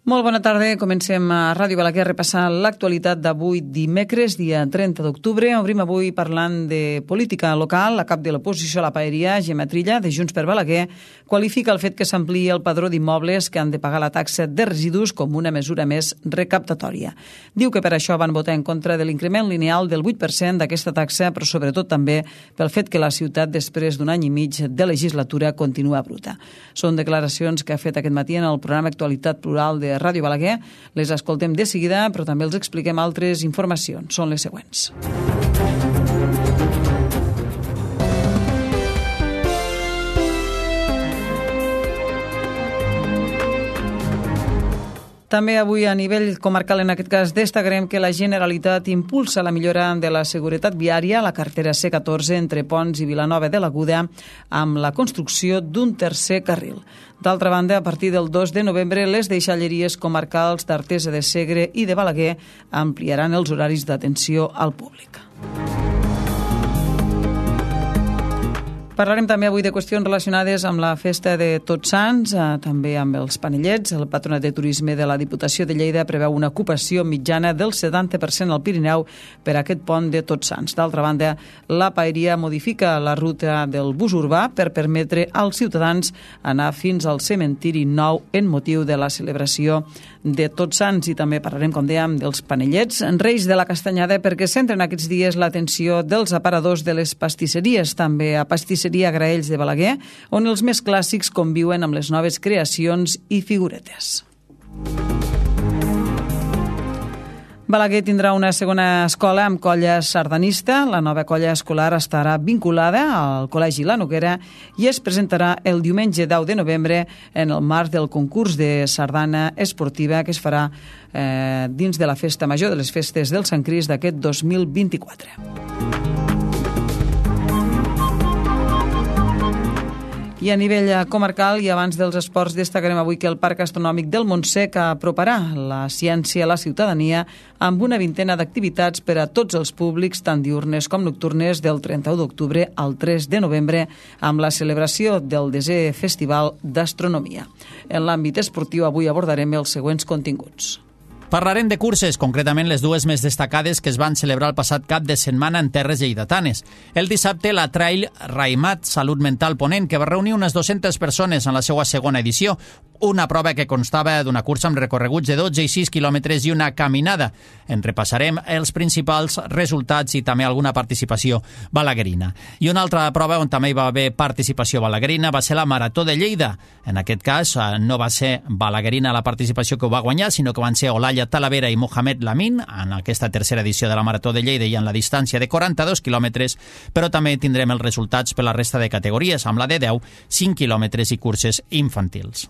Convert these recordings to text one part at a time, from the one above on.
Molt bona tarda. Comencem a Ràdio Balaguer a repassar l'actualitat d'avui dimecres, dia 30 d'octubre. Obrim avui parlant de política local. La cap de l'oposició a la paeria, Gemma Trilla, de Junts per Balaguer, qualifica el fet que s'ampliï el padró d'immobles que han de pagar la taxa de residus com una mesura més recaptatòria. Diu que per això van votar en contra de l'increment lineal del 8% d'aquesta taxa, però sobretot també pel fet que la ciutat, després d'un any i mig de legislatura, continua bruta. Són declaracions que ha fet aquest matí en el programa Actualitat Plural de Ràdio Balaguer. Les escoltem de seguida, però també els expliquem altres informacions. Són les següents. També avui a nivell comarcal, en aquest cas, destacarem que la Generalitat impulsa la millora de la seguretat viària a la carretera C14 entre Pons i Vilanova de l'Aguda amb la construcció d'un tercer carril. D'altra banda, a partir del 2 de novembre, les deixalleries comarcals d'Artesa de Segre i de Balaguer ampliaran els horaris d'atenció al públic. Parlarem també avui de qüestions relacionades amb la festa de Tots Sants, també amb els panellets. El Patronat de Turisme de la Diputació de Lleida preveu una ocupació mitjana del 70% al Pirineu per aquest pont de Tots Sants. D'altra banda, la paeria modifica la ruta del bus urbà per permetre als ciutadans anar fins al cementiri nou en motiu de la celebració de Tots Sants. I també parlarem, com dèiem, dels panellets, Reis de la Castanyada, perquè centren aquests dies l'atenció dels aparadors de les pastisseries, també a Pastisseria Graells de Balaguer, on els més clàssics conviuen amb les noves creacions i figuretes. Balaguer tindrà una segona escola amb colla sardanista. La nova colla escolar estarà vinculada al Col·legi La Noguera i es presentarà el diumenge 10 de novembre en el marc del concurs de sardana esportiva que es farà dins de la Festa Major de les Festes del Sant Crist d'aquest 2024. I a nivell comarcal i abans dels esports destacarem avui que el Parc Astronòmic del Montsec aproparà la ciència a la ciutadania amb una vintena d'activitats per a tots els públics, tant diurnes com nocturnes, del 31 d'octubre al 3 de novembre, amb la celebració del 10è Festival d'Astronomia. En l'àmbit esportiu avui abordarem els següents continguts. Parlarem de curses, concretament les dues més destacades que es van celebrar el passat cap de setmana en terres lleidatanes. El dissabte, la Trail Raimat Salut Mental Ponent, que va reunir unes 200 persones en la seva segona edició, una prova que constava d'una cursa amb recorreguts de 12 i 6 quilòmetres i una caminada. En repassarem els principals resultats i també alguna participació balaguerina. I una altra prova on també hi va haver participació balaguerina va ser la Marató de Lleida. En aquest cas no va ser balaguerina la participació que ho va guanyar, sinó que van ser Olaya Talavera i Mohamed Lamin en aquesta tercera edició de la Marató de Lleida i en la distància de 42 quilòmetres, però també tindrem els resultats per la resta de categories, amb la de 10, 5 quilòmetres i curses infantils.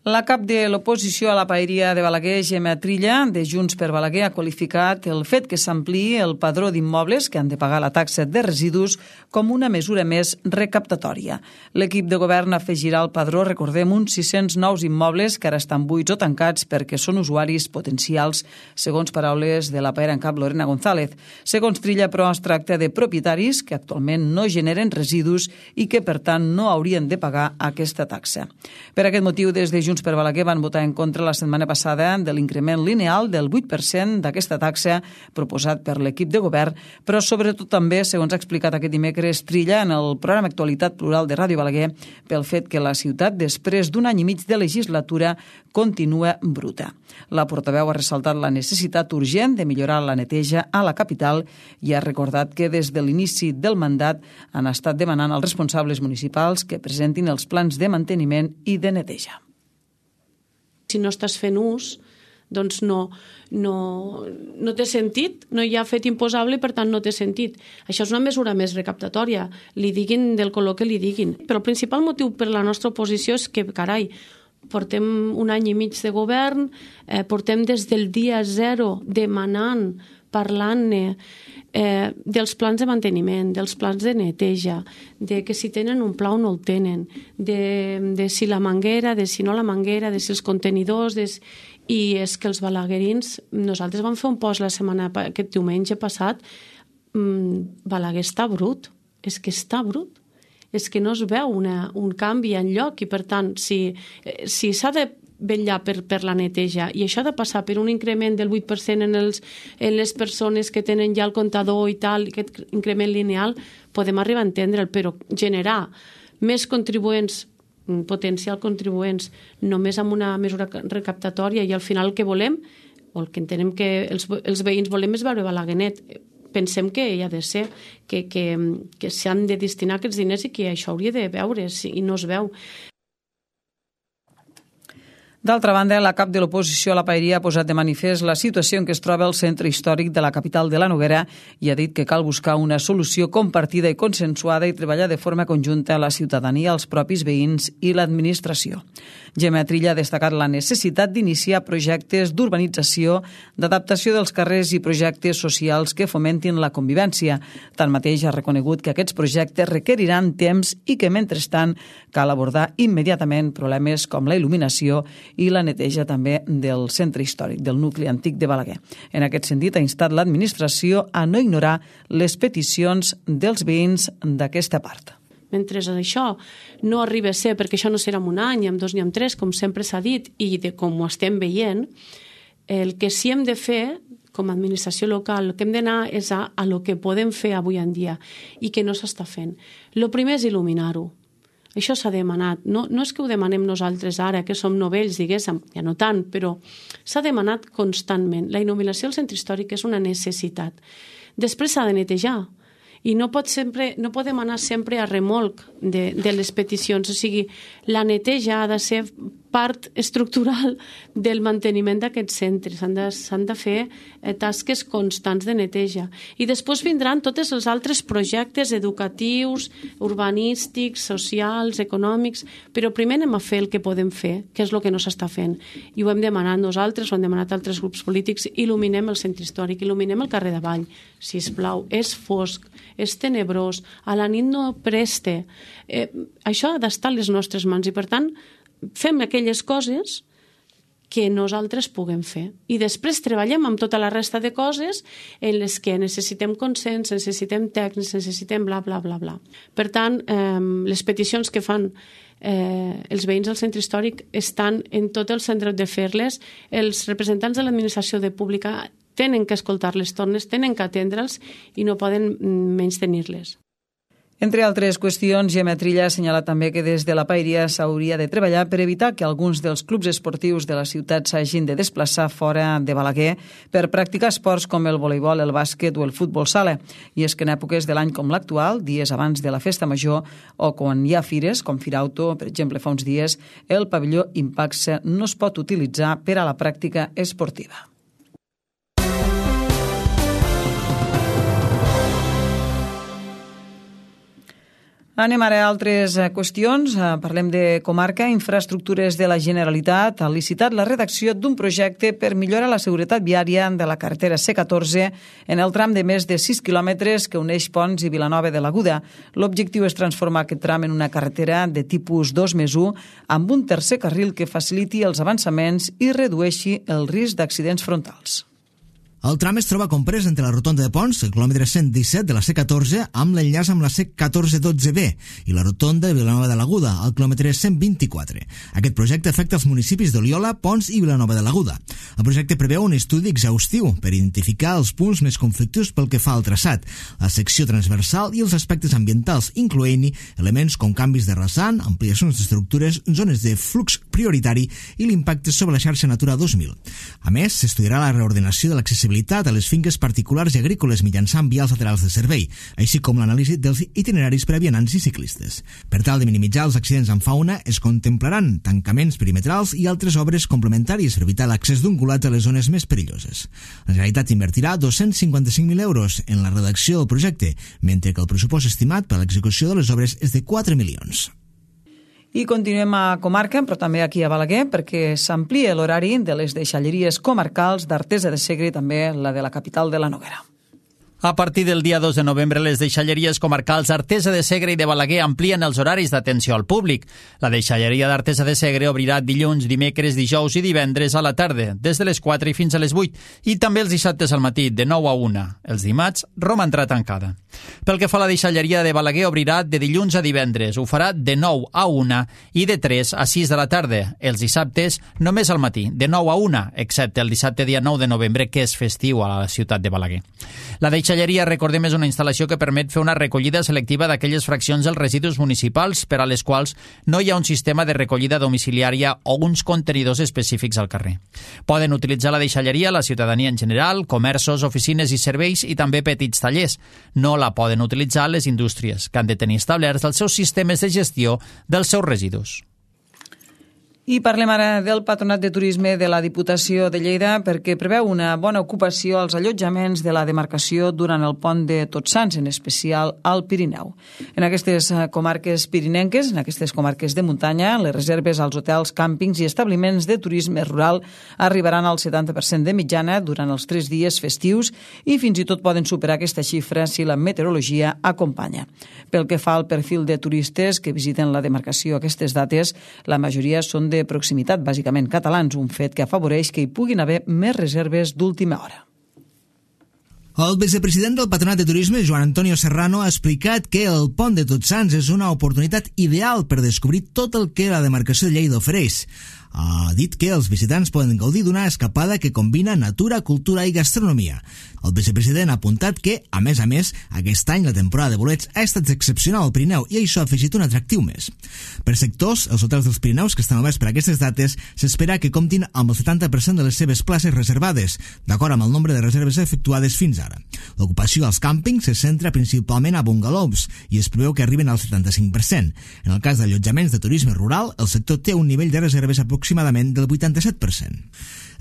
La cap de l'oposició a la paeria de Balaguer, Gemma Trilla, de Junts per Balaguer, ha qualificat el fet que s'ampliï el padró d'immobles que han de pagar la taxa de residus com una mesura més recaptatòria. L'equip de govern afegirà al padró, recordem, uns 600 nous immobles que ara estan buits o tancats perquè són usuaris potencials, segons paraules de la paera en cap Lorena González. Segons Trilla, però, es tracta de propietaris que actualment no generen residus i que, per tant, no haurien de pagar aquesta taxa. Per aquest motiu, des de Junts per Balaguer van votar en contra la setmana passada de l'increment lineal del 8% d'aquesta taxa proposat per l'equip de govern, però sobretot també, segons ha explicat aquest dimecres Trilla en el programa Actualitat Plural de Ràdio Balaguer, pel fet que la ciutat, després d'un any i mig de legislatura, continua bruta. La portaveu ha ressaltat la necessitat urgent de millorar la neteja a la capital i ha recordat que des de l'inici del mandat han estat demanant als responsables municipals que presentin els plans de manteniment i de neteja. Si no estàs fent ús, doncs no té sentit, no hi ha fet imposable i per tant no té sentit. Això és una mesura més recaptatòria, li diguin del color que li diguin. Però el principal motiu per la nostra oposició és que, carai, portem un any i mig de govern, portem des del dia 0 demanant parlant-ne dels plans de manteniment, dels plans de neteja, de que si tenen un pla o no el tenen, de si la manguera, de si no la manguera, de si els contenidors... I és que els balaguerins, nosaltres vam fer un post aquest diumenge passat, Balaguer està brut, és que està brut, és que no es veu un canvi enlloc i per tant, si s'ha de vetllar per la neteja i això ha de passar per un increment del 8% en les persones que tenen ja el comptador i tal, aquest increment lineal, podem arribar a entendre'l, però generar més contribuents, potencial contribuents, només amb una mesura recaptatòria i al final el que volem, o el que entenem que els veïns volem és veure Balaguer net. Pensem que hi ha de ser, que s'han de destinar aquests diners i que això hauria de veure's i no es veu. D'altra banda, la cap de l'oposició a la Paeria ha posat de manifest la situació en què es troba el centre històric de la capital de la Noguera i ha dit que cal buscar una solució compartida i consensuada i treballar de forma conjunta a la ciutadania, als propis veïns i l'administració. Gemma Trilla ha destacat la necessitat d'iniciar projectes d'urbanització, d'adaptació dels carrers i projectes socials que fomentin la convivència. Tanmateix ha reconegut que aquests projectes requeriran temps i que, mentrestant, cal abordar immediatament problemes com la il·luminació i la neteja també del centre històric, del nucli antic de Balaguer. En aquest sentit, ha instat l'administració a no ignorar les peticions dels veïns d'aquesta part. Mentre això no arriba a ser, perquè això no serà en un any, ni en 2 ni en 3, com sempre s'ha dit, i com ho estem veient, el que sí hem de fer, com a administració local, el que hem d'anar és a lo que podem fer avui en dia i que no s'està fent. El primer és il·luminar-ho. Això s'ha demanat. No és que ho demanem nosaltres ara, que som novells, diguéssim, ja no tant, però s'ha demanat constantment. La il·luminació al centre històric és una necessitat. Després s'ha de netejar. I no podem anar sempre a remolc de les peticions. O sigui, la neteja ha de ser part estructural del manteniment d'aquests centres. S'han de fer tasques constants de neteja. I després vindran tots els altres projectes educatius, urbanístics, socials, econòmics, però primer anem a fer el que podem fer, que és el que no s'està fent. I ho hem demanat nosaltres, ho han demanat altres grups polítics, il·luminem el centre històric, il·luminem el carrer d'Avall, sisplau, és fosc, és tenebrós, a la nit no preste. Això ha d'estar a les nostres mans i, per tant, fem aquelles coses que nosaltres puguem fer. I després treballem amb tota la resta de coses en les que necessitem consens, necessitem tècnics, necessitem bla, bla, bla, bla. Per tant, les peticions que fan els veïns del centre històric estan en tot el centre de fer-les. Els representants de l'administració pública tenen que escoltar les tornes, tenen que atendre'ls i no poden menystenir-les. Entre altres qüestions, Gemma Trilla ha assenyalat també que des de la Paeria s'hauria de treballar per evitar que alguns dels clubs esportius de la ciutat s'hagin de desplaçar fora de Balaguer per practicar esports com el voleibol, el bàsquet o el futbol sala. I és que en èpoques de l'any com l'actual, dies abans de la festa major o quan hi ha fires, com Firauto, per exemple, fa uns dies, el pavelló Impaxe no es pot utilitzar per a la pràctica esportiva. Anem ara a altres qüestions. Parlem de comarca. Infraestructures de la Generalitat ha licitat la redacció d'un projecte per millorar la seguretat viària de la carretera C14 en el tram de més de 6 quilòmetres que uneix Ponts i Vilanova de l'Aguda. L'objectiu és transformar aquest tram en una carretera de tipus 2+1 amb un tercer carril que faciliti els avançaments i redueixi el risc d'accidents frontals. El tram es troba comprès entre la rotonda de Ponts, el quilòmetre 117 de la C14, amb l'enllaç amb la C1412B, i la rotonda de Vilanova de l'Aguda, al quilòmetre 124. Aquest projecte afecta els municipis d'Oliola, Ponts i Vilanova de l'Aguda. El projecte preveu un estudi exhaustiu per identificar els punts més conflictius pel que fa al traçat, la secció transversal i els aspectes ambientals, incloent-hi elements com canvis de rasant, ampliacions d'estructures, zones de flux prioritari i l'impacte sobre la xarxa Natura 2000. A més, s'estudiarà la reordenació de l'accessibilitat a les finques particulars i agrícoles mitjançant vials laterals de servei, així com l'anàlisi dels itineraris per a vianants i ciclistes. Per tal de minimitzar els accidents en fauna, es contemplaran tancaments perimetrals i altres obres complementàries per evitar l'accés d'ungulats a les zones més perilloses. La Generalitat invertirà 255.000 euros en la redacció del projecte, mentre que el pressupost estimat per a l'execució de les obres és de 4 milions. I continuem a comarca, però també aquí a Balaguer, perquè s'amplia l'horari de les deixalleries comarcals d'Artesa de Segre i també la de la capital de la Noguera. A partir del dia 2 de novembre, les deixalleries comarcals Artesa de Segre i de Balaguer amplien els horaris d'atenció al públic. La deixalleria d'Artesa de Segre obrirà dilluns, dimecres, dijous i divendres a la tarda, des de les 4 i fins a les 8, i també els dissabtes al matí, de 9 a 1. Els dimarts romandrà tancada. Pel que fa a la deixalleria de Balaguer, obrirà de dilluns a divendres. Ho farà de 9 a 1 i de 3 a 6 de la tarda. Els dissabtes, només al matí, de 9 a 1, excepte el dissabte dia 9 de novembre, que és festiu a la ciutat de Balaguer. La deixalleria, recordem, és una instal·lació que permet fer una recollida selectiva d'aquelles fraccions dels residus municipals per a les quals no hi ha un sistema de recollida domiciliària o uns contenidors específics al carrer. Poden utilitzar la deixalleria la ciutadania en general, comerços, oficines i serveis i també petits tallers. No la poden utilitzar les indústries, que han de tenir establerts els seus sistemes de gestió dels seus residus. I parlem ara del Patronat de Turisme de la Diputació de Lleida perquè preveu una bona ocupació als allotjaments de la demarcació durant el pont de Tots Sants, en especial al Pirineu. En aquestes comarques pirinenques, en aquestes comarques de muntanya, les reserves als hotels, càmpings i establiments de turisme rural arribaran al 70% de mitjana durant els 3 dies festius i fins i tot poden superar aquesta xifra si la meteorologia acompanya. Pel que fa al perfil de turistes que visiten la demarcació a aquestes dates, la majoria són de proximitat, bàsicament catalans, un fet que afavoreix que hi puguin haver més reserves d'última hora. El vicepresident del Patronat de Turisme, Joan Antonio Serrano, ha explicat que el pont de Tots Sants és una oportunitat ideal per descobrir tot el que la demarcació de Lleida ofereix. Ha dit que els visitants poden gaudir d'una escapada que combina natura, cultura i gastronomia. El vicepresident ha apuntat que, a més, aquest any la temporada de bolets ha estat excepcional al Pirineu i això ha afegit un atractiu més. Per sectors, els hotels dels Pirineus que estan oberts per aquestes dates s'espera que comptin amb el 70% de les seves places reservades, d'acord amb el nombre de reserves efectuades fins ara. L'ocupació als càmpings se centra principalment a bungalows i es preveu que arriben al 75%. En el cas d'allotjaments de turisme rural, el sector té un nivell de reserves aproximadament del 87%.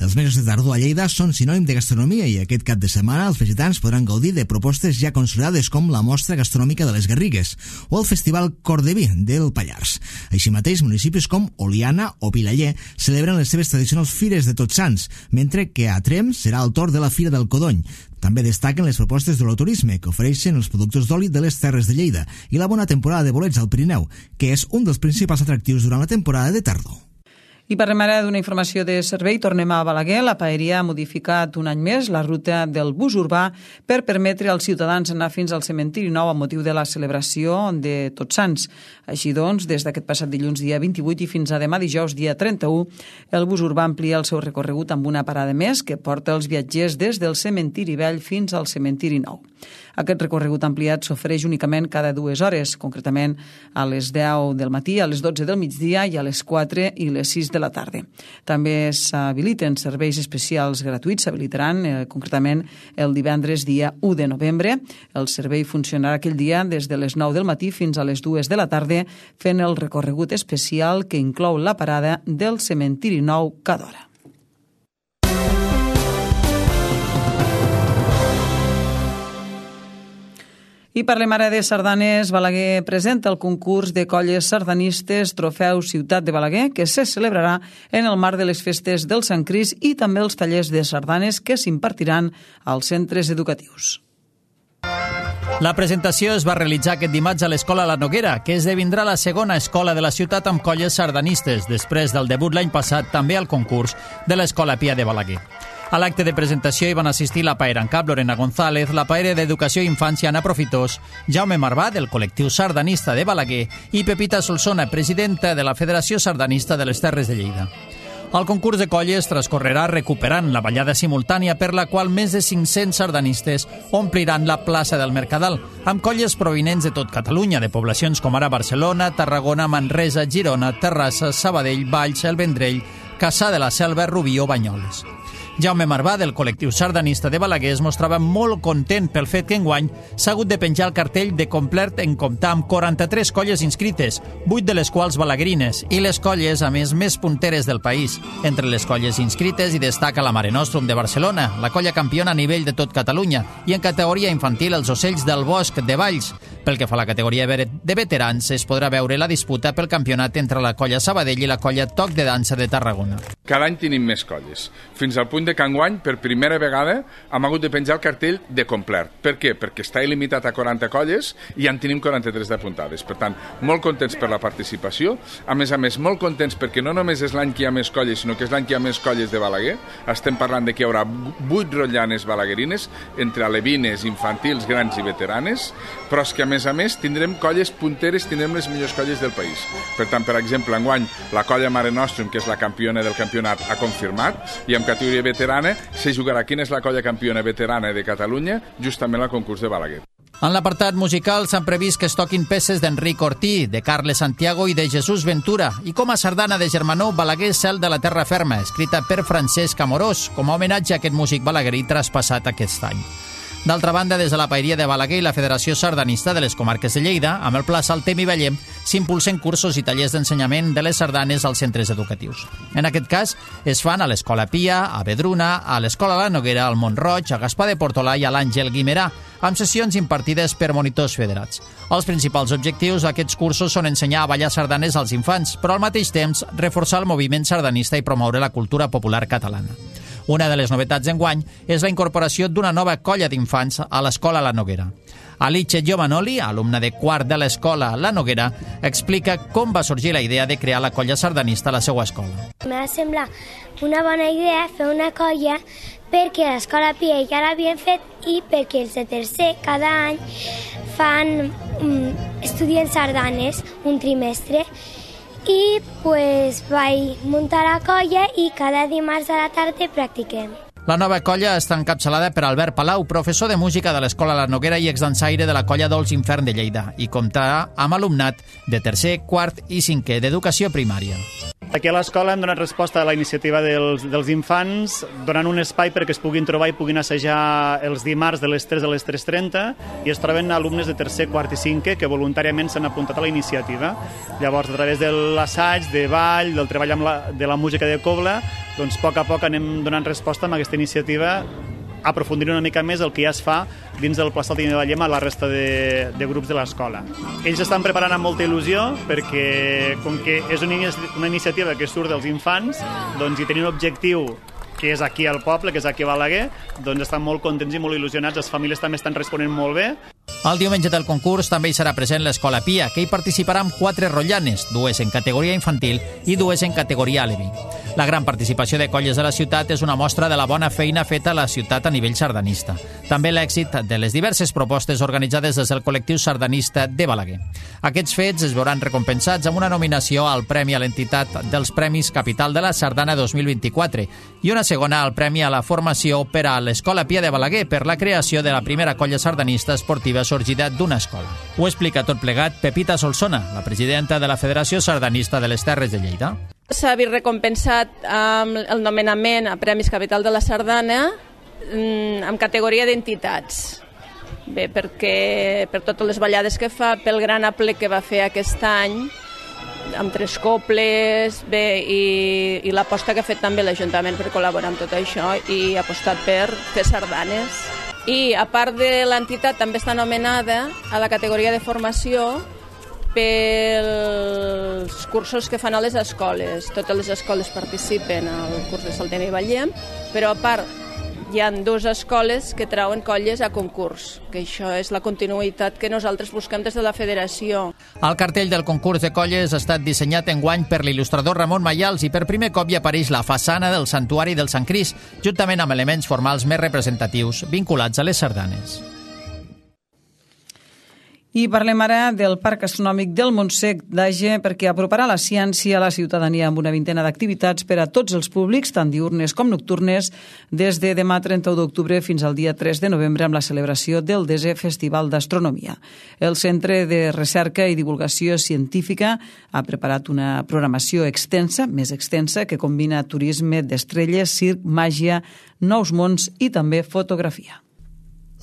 Els mesos de tardor a Lleida són sinònim de gastronomia i aquest cap de setmana els visitants podran gaudir de propostes ja consolidades com la Mostra Gastronòmica de les Garrigues o el Festival Cor de Vi del Pallars. Així mateix, municipis com Oliana o Vilaller celebren les seves tradicionals fires de Tots Sants, mentre que a Tremp serà el torn de la Fira del Codony. També destaquen les propostes de l'oturisme que ofereixen els productors d'oli de les Terres de Lleida i la bona temporada de bolets al Pirineu, que és un dels principals atractius durant la temporada de tardor. I parlem ara d'una informació de servei. Tornem a Balaguer. La Paeria ha modificat un any més la ruta del bus urbà per permetre als ciutadans anar fins al cementiri nou a motiu de la celebració de Tots Sants. Així doncs, des d'aquest passat dilluns dia 28 i fins a demà dijous dia 31, el bus urbà amplia el seu recorregut amb una parada més que porta els viatgers des del cementiri vell fins al cementiri nou. Aquest recorregut ampliat s'ofereix únicament cada 2 hores, concretament a les 10 del matí, a les 12 del migdia i a les 4 i les 6 de la tarda. També s'habiliten serveis especials gratuïts, s'habilitaran concretament el divendres dia 1 de novembre. El servei funcionarà aquell dia des de les 9 del matí fins a les 2 de la tarda, fent el recorregut especial que inclou la parada del cementiri nou cada hora. I parlem ara de sardanes. Balaguer presenta el concurs de colles sardanistes Trofeu Ciutat de Balaguer, que se celebrarà en el marc de les festes del Sant Crist i també els tallers de sardanes que s'impartiran als centres educatius. La presentació es va realitzar aquest dimarts a l'Escola La Noguera, que esdevindrà la segona escola de la ciutat amb colles sardanistes, després del debut l'any passat també al concurs de l'Escola Pia de Balaguer. A l'acte de presentació hi van assistir la paera en cap Lorena González, la paera d'Educació i Infància Anna Profitós, Jaume Marvà, del col·lectiu sardanista de Balaguer, i Pepita Solsona, presidenta de la Federació Sardanista de les Terres de Lleida. El concurs de colles transcorrerà recuperant la ballada simultània per la qual més de 500 sardanistes ompliran la plaça del Mercadal, amb colles provinents de tot Catalunya, de poblacions com ara Barcelona, Tarragona, Manresa, Girona, Terrassa, Sabadell, Valls, El Vendrell, Cassà de la Selva, Rubí o Banyoles. Jaume Marvà, del col·lectiu sardanista de Balaguer, es mostrava molt content pel fet que enguany s'ha hagut de penjar el cartell de complet en comptar amb 43 colles inscrites, 8 de les quals balaguerines, i les colles, a més punteres del país. Entre les colles inscrites hi destaca la Mare Nostrum de Barcelona, la colla campiona a nivell de tot Catalunya, i en categoria infantil els Ocells del Bosc de Valls. Pel que fa a la categoria de veterans, es podrà veure la disputa pel campionat entre la colla Sabadell i la colla Toc de Dansa de Tarragona. Cada any tenim més colles, fins al punt de que enguany, per primera vegada, hem hagut de penjar el cartell de complet. Per què? Perquè està il·limitat a 40 colles i en tenim 43 d'apuntades. Per tant, molt contents per la participació, a més, molt contents perquè no només és l'any que hi ha més colles, sinó que és l'any que hi ha més colles de Balaguer. Estem parlant de que hi haurà 8 rotllanes balaguerines, entre alevines, infantils, grans i veteranes, però és que, a més, tindrem colles punteres, tindrem les millors colles del país. Per tant, per exemple, enguany, la colla Mare Nostrum, que és la campiona del campionat, ha confirmat, i en categoria veterana se jugarà quina és la colla campiona veterana de Catalunya, justament al concurs de Balaguer. En l'apartat musical s'han previst que es toquin peces d'Enric Ortí, de Carles Santiago i de Jesús Ventura, i com a sardana de Germanó, Balaguer Cel de la Terra Ferma, escrita per Francesc Amorós, com a homenatge a aquest músic balaguerí traspassat aquest any. D'altra banda, des de la Paeria de Balaguer i la Federació Sardanista de les Comarques de Lleida, amb el Pla Saltem i Vallem, s'impulsen cursos i tallers d'ensenyament de les sardanes als centres educatius. En aquest cas, es fan a l'Escola Pia, a Vedruna, a l'Escola La Noguera, al Montroig, a Gaspar de Portolà i a l'Àngel Guimerà, amb sessions impartides per monitors federats. Els principals objectius d'aquests cursos són ensenyar a ballar sardanes als infants, però al mateix temps reforçar el moviment sardanista i promoure la cultura popular catalana. Una de les novetats d'enguany és la incorporació d'una nova colla d'infants a l'Escola La Noguera. Alice Giovanoli, alumna de quart de l'Escola La Noguera, explica com va sorgir la idea de crear la colla sardanista a la seva escola. M'ha semblat una bona idea fer una colla perquè a l'Escola Pia ja l'havien fet i perquè els de tercer cada any estudien sardanes un trimestre i vaig muntar la colla i cada dimarts a la tarda practiquem. La nova colla està encapçalada per Albert Palau, professor de música de l'Escola La Noguera i exdansaire de la colla Dolç Infern de Lleida, i comptarà amb alumnat de tercer, quart i cinquè d'educació primària. Aquí a l'escola hem donat resposta a la iniciativa dels infants, donant un espai perquè es puguin trobar i puguin assajar els dimarts de les 3 a les 3:30 i es troben alumnes de tercer, quart i cinquè que voluntàriament s'han apuntat a la iniciativa. Llavors, a través de l'assaig, de ball, del treball de la música de cobla, doncs a poc a poc anem donant resposta a aquesta iniciativa, aprofundir una mica més el que ja es fa dins del Pla Saltem i Vallem a la resta de grups de l'escola. Ells estan preparant amb molta il·lusió perquè, com que és una iniciativa que surt dels infants, doncs i tenir un objectiu que és aquí al poble, que és aquí a Balaguer, doncs estan molt contents i molt il·lusionats. Les famílies també estan responent molt bé. El diumenge del concurs també hi serà present l'Escola Pia, que hi participarà amb 4 rotllanes, 2 en categoria infantil i 2 en categoria aleví. La gran participació de colles de la ciutat és una mostra de la bona feina feta a la ciutat a nivell sardanista. També l'èxit de les diverses propostes organitzades des del col·lectiu sardanista de Balaguer. Aquests fets es veuran recompensats amb una nominació al Premi a l'entitat dels Premis Capital de la Sardana 2024 i una segona al Premi a la Formació per a l'Escola Pia de Balaguer per la creació de la primera colla sardanista esportiva sorgida d'una escola. Ho explica tot plegat Pepita Solsona, la presidenta de la Federació Sardanista de les Terres de Lleida. S'ha vist recompensat amb el nomenament a Premis Capital de la Sardana en categoria d'entitats. Bé, perquè per totes les ballades que fa, pel gran aplec que va fer aquest any, amb 3 cobles, bé, i l'aposta que ha fet també l'Ajuntament per col·laborar amb tot això i ha apostat per fer sardanes. I a part de l'entitat també està nomenada a la categoria de formació pels cursos que fan a les escoles. Totes les escoles participen al curs de Saltem i Vallem, però a part hi ha 2 escoles que trauen colles a concurs, que això és la continuïtat que nosaltres busquem des de la federació. El cartell del concurs de colles ha estat dissenyat enguany per l'il·lustrador Ramon Mayals i per primer cop hi apareix la façana del Santuari del Sant Crist, juntament amb elements formals més representatius vinculats a les sardanes. I parlem ara del Parc Astronòmic del Montsec d'Age perquè aproparà la ciència a la ciutadania amb una vintena d'activitats per a tots els públics, tant diurnes com nocturnes, des de demà 31 d'octubre fins al dia 3 de novembre amb la celebració del 10è Festival d'Astronomia. El Centre de Recerca i Divulgació Científica ha preparat una programació extensa, més extensa, que combina turisme d'estrelles, circ, màgia, nous mons i també fotografia.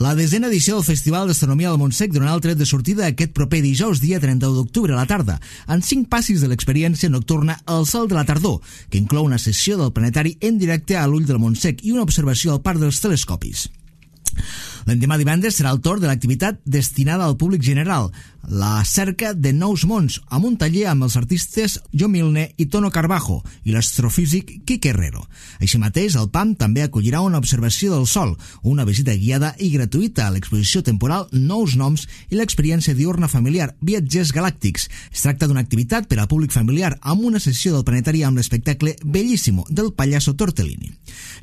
La 10a edició del Festival d'Astronomia del Montsec donarà el tret de sortida aquest proper dijous, dia 31 d'octubre a la tarda, en 5 passis de l'experiència nocturna El Sol de la Tardor, que inclou una sessió del planetari en directe a l'Ull del Montsec i una observació al Parc dels Telescopis. L'endemà divendres serà el torn de l'activitat destinada al públic general, la cerca de nous mons, amb un taller amb els artistes Jo Milne i Tono Carbajo i l'astrofísic Quique Herrero. Així mateix, el PAM també acollirà una observació del Sol, una visita guiada i gratuïta a l'exposició temporal Nous Noms i l'experiència diurna familiar Viatgers Galàctics. Es tracta d'una activitat per al públic familiar amb una sessió del planetari amb l'espectacle Bellíssimo del pallasso Tortellini.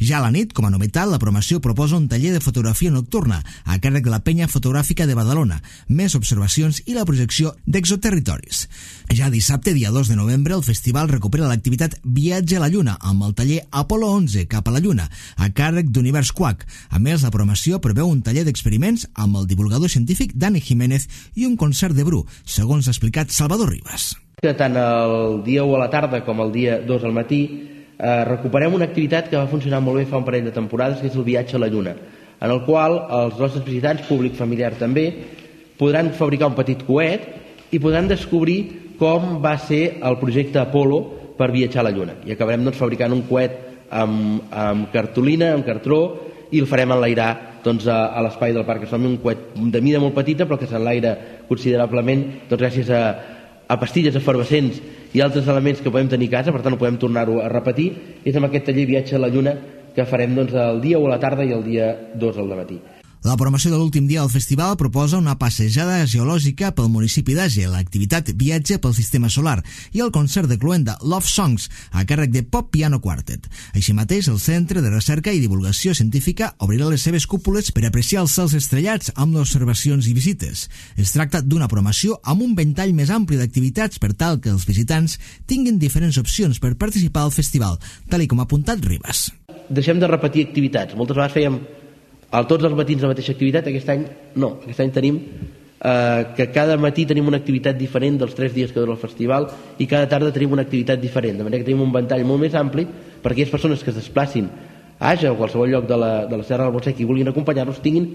Ja a la nit, com a novetat, la programació proposa un taller de fotografia nocturna a càrrec de la Penya Fotogràfica de Badalona, més observacions i la projecció d'exoterritoris. Ja dissabte, dia 2 de novembre, el festival recupera l'activitat Viatge a la Lluna amb el taller Apolo 11 cap a la Lluna, a càrrec d'Univers Quack. A més, la programació preveu un taller d'experiments amb el divulgador científic Dani Jiménez i un concert de bru, segons ha explicat Salvador Ribas. Tant el dia 1 a la tarda com el dia 2 al matí recuperem una activitat que va funcionar molt bé fa un parell de temporades, que és el Viatge a la Lluna, en el qual els nostres visitants, públic familiar també, podran fabricar un petit coet i podran descobrir com va ser el projecte Apolo per viatjar a la Lluna. I acabarem fabricant un coet amb cartolina, amb cartró, i el farem enlairar a l'espai del Parc Astronòmic, un coet de mida molt petita però que s'enlaira considerablement gràcies a pastilles efervescents i altres elements que podem tenir a casa, per tant ho podem tornar-ho a repetir. És amb aquest taller Viatge a la Lluna que farem el dia 1 a la tarda i el dia 2 al matí. La programació de l'últim dia del festival proposa una passejada geològica pel municipi d'Age, l'activitat Viatge pel Sistema Solar i el concert de cloenda Love Songs a càrrec de Pop Piano Quartet. Així mateix, el Centre de Recerca i Divulgació Científica obrirà les seves cúpules per apreciar els cels estrellats amb observacions i visites. Es tracta d'una programació amb un ventall més ampli d'activitats per tal que els visitants tinguin diferents opcions per participar al festival, tal com ha apuntat Ribas. Deixem de repetir activitats. Moltes vegades fèiem tots els matins la mateixa activitat, aquest any no. Aquest any tenim que cada matí tenim una activitat diferent dels 3 dies que dura el festival i cada tarda tenim una activitat diferent, de manera que tenim un ventall molt més ampli per aquelles persones que es desplacin a Age o a qualsevol lloc de la Serra del Montsec i vulguin acompanyar-nos tinguin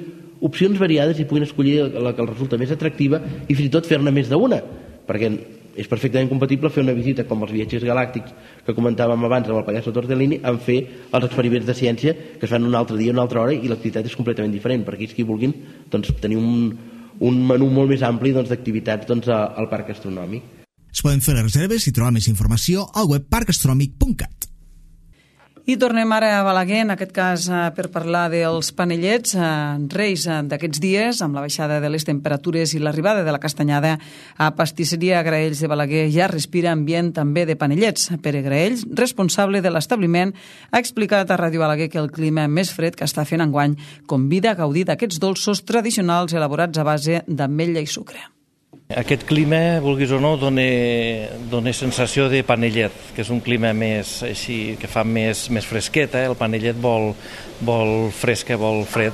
opcions variades i puguin escollir la que els resulta més atractiva i fins i tot fer-ne més d'una, perquè és perfectament compatible fer una visita com els viatgers galàctics que comentàvem abans amb el pallasso Tortellini amb fer els experiments de ciència que es fan un altre dia, una altra hora i l'activitat és completament diferent per aquells que vulguin tenir un menú molt més ampli d'activitats al Parc Astronòmic. Es poden fer les reserves i trobar més informació al web parcastronòmic.cat. I tornem ara a Balaguer, en aquest cas per parlar dels panellets, reis d'aquests dies, amb la baixada de les temperatures i l'arribada de la castanyada. A Pastisseria Graells de Balaguer ja respira ambient també de panellets. Pere Graells, responsable de l'establiment, ha explicat a Ràdio Balaguer que el clima més fred que està fent enguany convida a gaudir d'aquests dolços tradicionals elaborats a base d'ametlla i sucre. Aquest clima, vulguis o no, dona sensació de panellet, que és un clima més així, que fa més fresqueta, el panellet vol fresca, vol fred,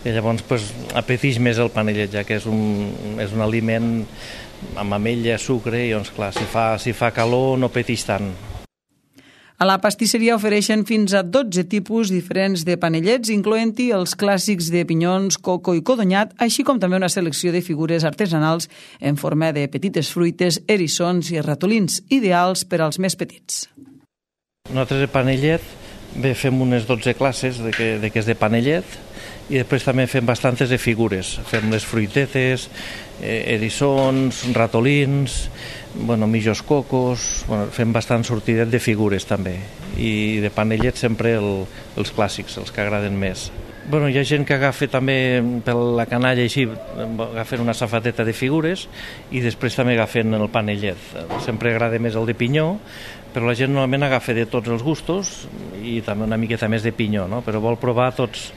i llavors apeteix més el panellet, ja que és un aliment amb ametlla, sucre, i doncs clar, si fa calor no apeteix tant. A la pastisseria ofereixen fins a 12 tipus diferents de panellets, incloent-hi els clàssics de pinyons, coco i codonyat, així com també una selecció de figures artesanals en forma de petites fruites, eriçons i ratolins, ideals per als més petits. Nosaltres de panellet fem unes 12 classes de què és de panellet i després també fem bastantes de figures. Fem les fruitetes, eriçons, ratolins, millors cocos, fem bastant sortidet de figures també. I de panellet sempre els clàssics, els que agraden més. Hi ha gent que agafa també per la canalla així, agafen una safateta de figures i després també agafen el panellet. Sempre agrada més el de pinyó, però la gent normalment agafa de tots els gustos i també una miqueta més de pinyó, no? Però vol provar tots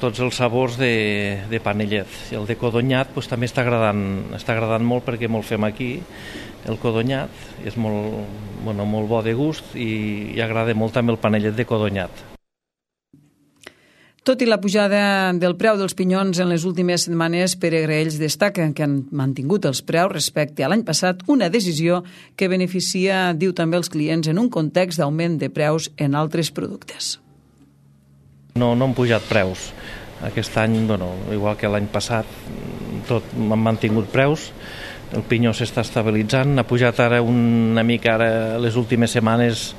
tots els sabors de panellet. I el de codonyat doncs, també està agradant molt perquè molt fem aquí. El codonyat és molt bo de gust i agrada molt també el panellet de codonyat. Tot i la pujada del preu dels pinyons en les últimes setmanes, Pere Graells destaca que han mantingut els preus respecte a l'any passat, una decisió que beneficia, diu també, els clients en un context d'augment de preus en altres productes. No han pujat preus. Aquest any, igual que l'any passat, tot han mantingut preus. El pinyó s'està estabilitzant. Ha pujat ara una mica, les últimes setmanes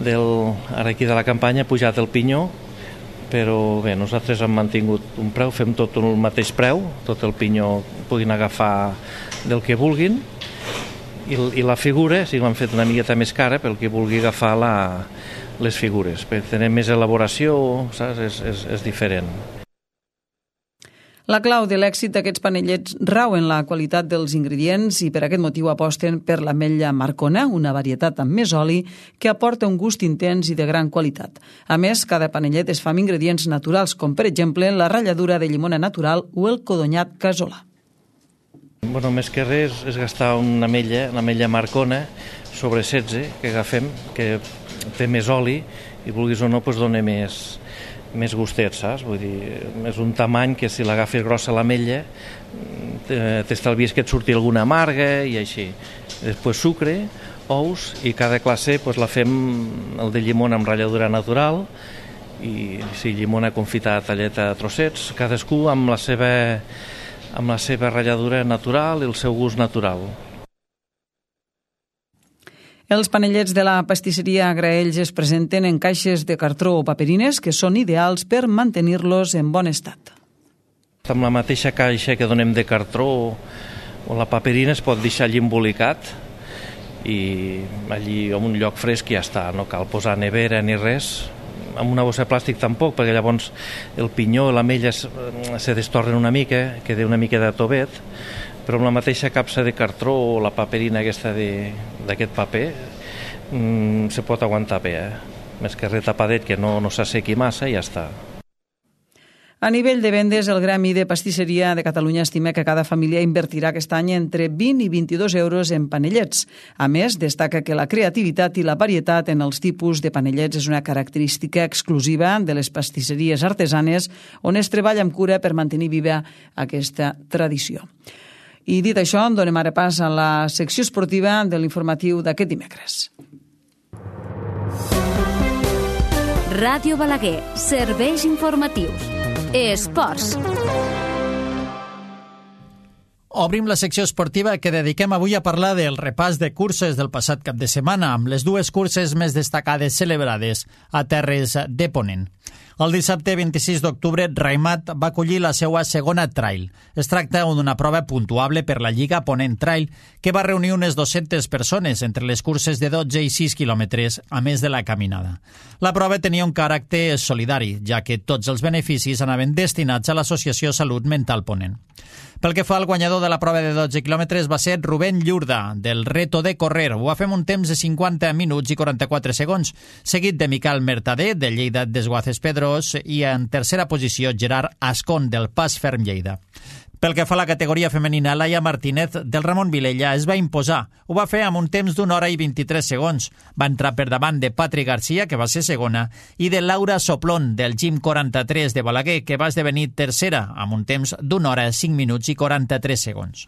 ara aquí de la campanya, ha pujat el pinyó, però bé, nosaltres hem mantingut un preu, fem tot el mateix preu, tot el pinyó puguin agafar del que vulguin, i la figura sí l'han fet una miqueta més cara pel que vulgui agafar les figures, perquè tenen més elaboració, saps? És diferent. La clau de l'èxit d'aquests panellets rau en la qualitat dels ingredients i per aquest motiu aposten per l'ametlla Marcona, una varietat amb més oli que aporta un gust intens i de gran qualitat. A més, cada panellet es fa amb ingredients naturals, com per exemple la ratlladura de llimona natural o el codonyat casolà. Més que res és gastar una ametlla Marcona sobre 16 que agafem, que té més oli i vulguis o no dona més gustet, saps? Vull dir, és un tamany que si l'agafes grossa l'ametlla t'estalvies que et surti alguna amarga i així. Després sucre, ous i cada classe la fem el de llimona amb ratlladura natural i llimona confitada talleta a trossets, cadascú amb la seva ratlladura natural i el seu gust natural. Els panellets de la pastisseria Graells es presenten en caixes de cartró o paperines que són ideals per mantenir-los en bon estat. Amb la mateixa caixa que donem de cartró o la paperina es pot deixar allí embolicat i allí en un lloc fresc ja està, no cal posar nevera ni res. Amb una bossa de plàstic tampoc, perquè llavors el pinyó i l'ametlla se destornen una mica, queda una mica de tovet, però amb la mateixa capsa de cartró o la paperina aquesta d'aquest paper se pot aguantar bé, més que retapadet que no s'assequi massa i ja està. A nivell de vendes, el Gremi de Pastisseria de Catalunya estima que cada família invertirà aquest any entre 20 i 22 euros en panellets. A més, destaca que la creativitat i la varietat en els tipus de panellets és una característica exclusiva de les pastisseries artesanes on es treballa amb cura per mantenir viva aquesta tradició. I dit això, donem ara pas a la secció esportiva de l'informatiu d'aquest dimecres. Ràdio Balaguer, serveis informatius. Esports. Obrim la secció esportiva que dediquem avui a parlar del repàs de curses del passat cap de setmana, amb les dues curses més destacades celebrades a terres de Ponent. El dissabte 26 d'octubre, Raimat va acollir la seva segona trail. Es tracta d'una prova puntuable per la Lliga Ponent Trail, que va reunir unes 200 persones entre les curses de 12 i 6 quilòmetres, a més de la caminada. La prova tenia un caràcter solidari, ja que tots els beneficis anaven destinats a l'Associació Salut Mental Ponent. Pel que fa al guanyador de la prova de 12 quilòmetres va ser Rubén Llurda, del Reto de Correr. Ho va fer amb un temps de 50 minuts i 44 segons, seguit de Miquel Mercader, de Lleida Desguaces Pedrós, i en tercera posició Gerard Ascón, del Pas Ferm Lleida. Pel que fa a la categoria femenina, Laia Martínez, del Ramon Vilella, es va imposar. Ho va fer amb un temps d'1 hora i 23 segons. Va entrar per davant de Patri Garcia, que va ser segona, i de Laura Soplón, del Gym 43 de Balaguer, que va esdevenir tercera, amb un temps d'1 hora, 5 minuts i 43 segons.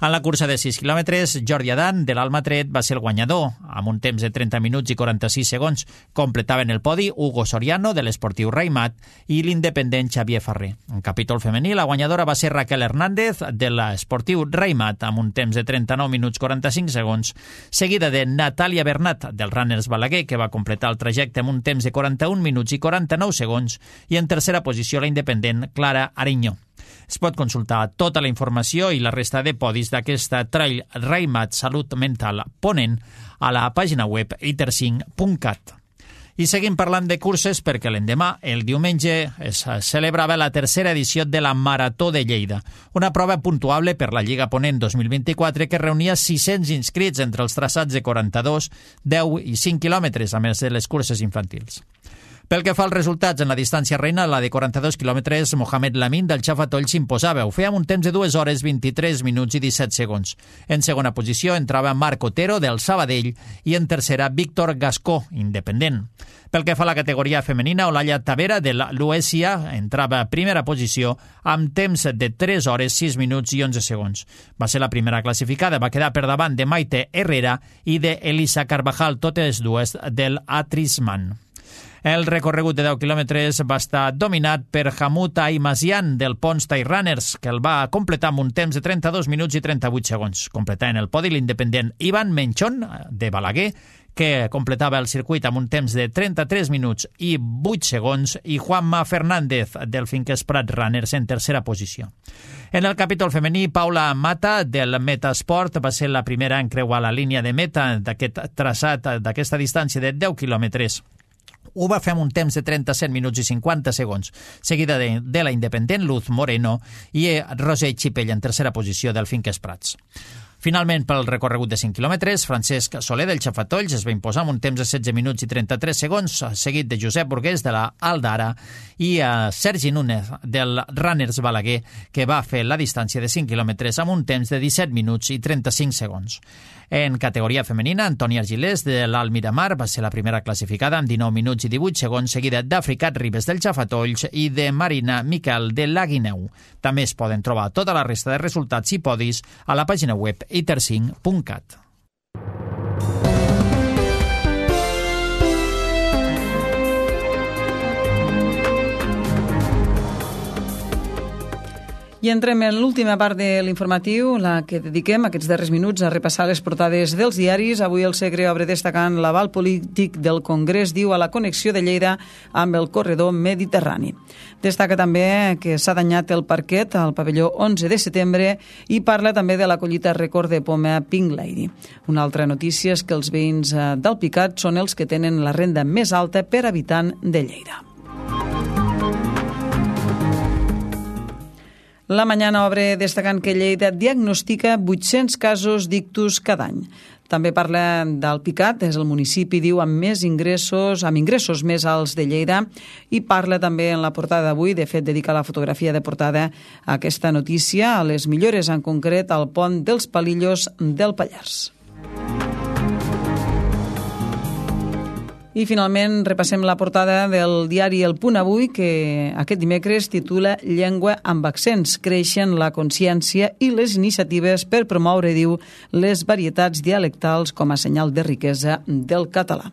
En la cursa de 6 quilòmetres, Jordi Adan, de l'Almatret, va ser el guanyador, amb un temps de 30 minuts i 46 segons. Completaven el podi Hugo Soriano, de l'Esportiu Raimat, i l'independent Xavier Ferrer. En capítol femení, la guanyadora va ser Raquel Hernández, de l'Esportiu Raimat, amb un temps de 39 minuts 45 segons, seguida de Natàlia Bernat, del Runners Balaguer, que va completar el trajecte amb un temps de 41 minuts i 49 segons, i en tercera posició la independent Clara Ariñó. Es pot consultar tota la informació i la resta de podis d'aquesta Trail Raimat Salut Mental Ponent a la pàgina web iter5.cat. I seguim parlant de curses perquè l'endemà, el diumenge, es celebrava la tercera edició de la Marató de Lleida, una prova puntuable per la Lliga Ponent 2024 que reunia 600 inscrits entre els traçats de 42, 10 i 5 quilòmetres, a més de les curses infantils. Pel que fa als resultats, en la distància reina, la de 42 quilòmetres, Mohamed Lamin del Xafatoll s'imposava. Ho feia amb un temps de 2 hores, 23 minuts i 17 segons. En segona posició entrava Marc Otero del Sabadell i en tercera Víctor Gascó, independent. Pel que fa a la categoria femenina, Olalla Tavera de l'Uesia entrava a primera posició amb temps de 3 hores, 6 minuts i 11 segons. Va ser la primera classificada, va quedar per davant de Maite Herrera i d'Elisa Carvajal, totes dues del Atrisman. El recorregut de 10 quilòmetres va estar dominat per Hamoud Aimasian del Pons Trail Runners, que el va completar amb un temps de 32 minuts i 38 segons. Completant el podi l'independent Ivan Menchon, de Balaguer, que completava el circuit amb un temps de 33 minuts i 8 segons, i Juanma Fernández del Finques Prat Runners en tercera posició. En el capítol femení, Paula Mata del Metasport va ser la primera en creuar la línia de meta d'aquest traçat, d'aquesta distància de 10 quilòmetres. Ho va fer amb un temps de 37 minuts i 50 segons, seguida de la independent Luz Moreno i Roser Xipell en tercera posició del Finques Prats. Finalment, pel recorregut de 5 quilòmetres, Francesc Soler del Xafatolls es va imposar amb un temps de 16 minuts i 33 segons, seguit de Josep Burgués de la Aldara i Sergi Núñez del Runners Balaguer, que va fer la distància de 5 quilòmetres amb un temps de 17 minuts i 35 segons. En categoria femenina, Antònia Argilés de l'Alt Miramar va ser la primera classificada amb 19 minuts i 18 segons, seguida d'Africat Ribes del Xafatolls i de Marina Miquel de l'Aguineu. També es poden trobar tota la resta de resultats i podis a la pàgina web iter5.cat. I entrem en l'última part de l'informatiu, la que dediquem aquests darrers minuts a repassar les portades dels diaris. Avui el Segre obre destacant l'aval polític del Congrés, diu, a la connexió de Lleida amb el corredor mediterrani. Destaca també que s'ha danyat el parquet al pavelló 11 de setembre i parla també de la collita rècord de poma Pink Lady. Una altra notícia és que els veïns d'Alpicat són els que tenen la renda més alta per habitant de Lleida. La Mañana obre destacant que Lleida diagnostica 800 casos d'ictus cada any. També parla d'Alpicat, és el municipi, diu, amb ingressos més alts de Lleida, i parla també en la portada d'avui, de fet dedica la fotografia de portada a aquesta notícia, a les millores en concret al pont dels Palillos del Pallars. I finalment repassem la portada del diari El Punt Avui, que aquest dimecres titula Llengua amb accents. Creixen la consciència i les iniciatives per promoure, diu, les varietats dialectals com a senyal de riquesa del català.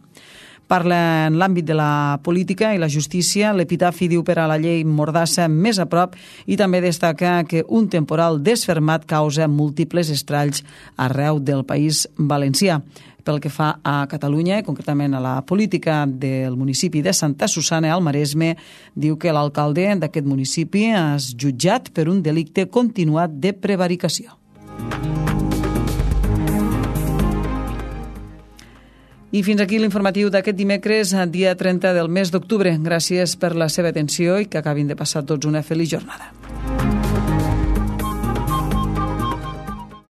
Parla en l'àmbit de la política i la justícia. L'epitafi diu per a la llei Mordassa més a prop i també destaca que un temporal desfermat causa múltiples estralls arreu del País Valencià. Pel que fa a Catalunya, concretament a la política del municipi de Santa Susanna al Maresme, diu que l'alcalde d'aquest municipi és jutjat per un delicte continuat de prevaricació. I fins aquí l'informatiu d'aquest dimecres, dia 30 del mes d'octubre. Gràcies per la seva atenció i que acabin de passar tots una feliç jornada.